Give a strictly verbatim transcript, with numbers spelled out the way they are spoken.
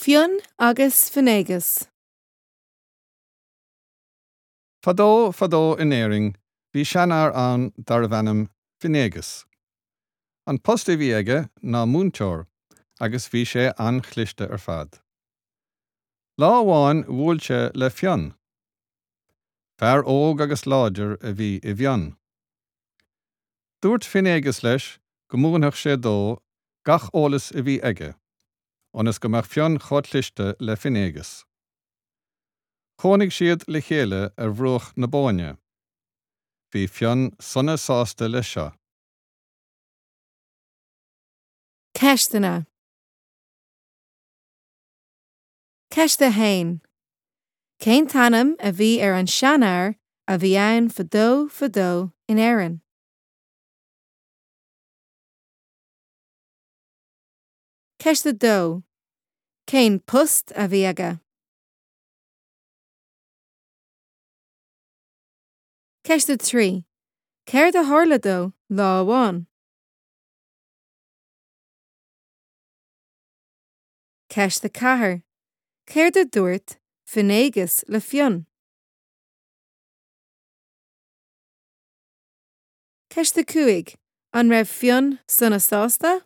Fionn agus Finnéagas. Fadó fadó in Éirinn bhí seanfhear ann darbh ainm Finnéagas. An post a bhí aige ná múinteoir agus bhí sé an-chliste ar fad. Lá amháin bhuail sé le Fionn. Fear óg agus láidir a bhí i bhFionn. Dúirt Finnéagas leis go múinfeadh sé dó gach eolas a bhí aige, ionas go mbeadh Fionn chomh cliste le Finnéagas. Chónaigh siad le chéile ar bhruach na Bóinne. Bhí Fionn sona sásta leis seo. Ceisteanna. Ceist a haon. Cén t-ainm a bhí ar an seanfhear a bhí ann fadó fadó in Éirinn? Ceist a dó. Cén post a bhí aige? Ceist a trí. Céard a tharla dó lá amháin? Ceist a ceathair. Céard a dúirt Finnéagas le Fionn? Ceist a cúig. An raibh Fionn sona sásta?